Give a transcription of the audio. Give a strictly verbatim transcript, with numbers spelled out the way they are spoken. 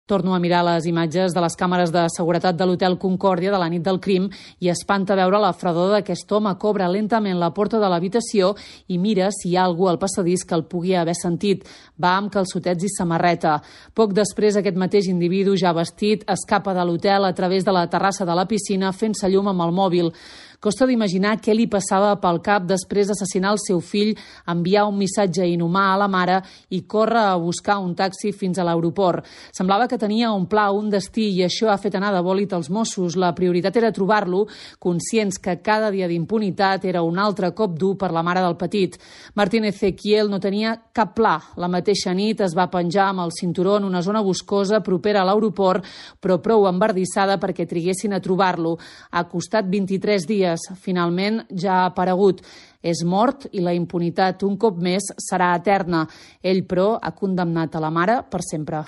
Torno a mirar les imatges de les càmeres de seguretat de l'Hotel Concòrdia de la nit del crim i espanta veure la fredor d'aquest home que obre lentament la porta de l'habitació i mira si hi ha algú al passadís que el pugui haver sentit. Va amb calçotets i samarreta. Poc després, aquest mateix individu, ja vestit, escapa de l'hotel a través de la terrassa de la piscina fent-se llum amb el mòbil. Costa d'imaginar què li passava pel cap després d'assassinar el seu fill, enviar un missatge inhumà a la mare i córrer a buscar un taxi fins a l'aeroport. Semblava que tenia un pla, un destí, i això ha fet anar de bòlit els Mossos. La prioritat era trobar-lo, conscients que cada dia d'impunitat era un altre cop dur per la mare del petit. Martín Ezequiel no tenia cap pla. La mateixa nit es va penjar amb el cinturó en una zona boscosa propera a l'aeroport, però prou embardissada perquè triguessin a trobar-lo. Ha costat vint-i-tres dies. Finalment ja ha aparegut. És mort i la impunitat un cop més serà eterna. Ell, però, ha condemnat a la mare per sempre.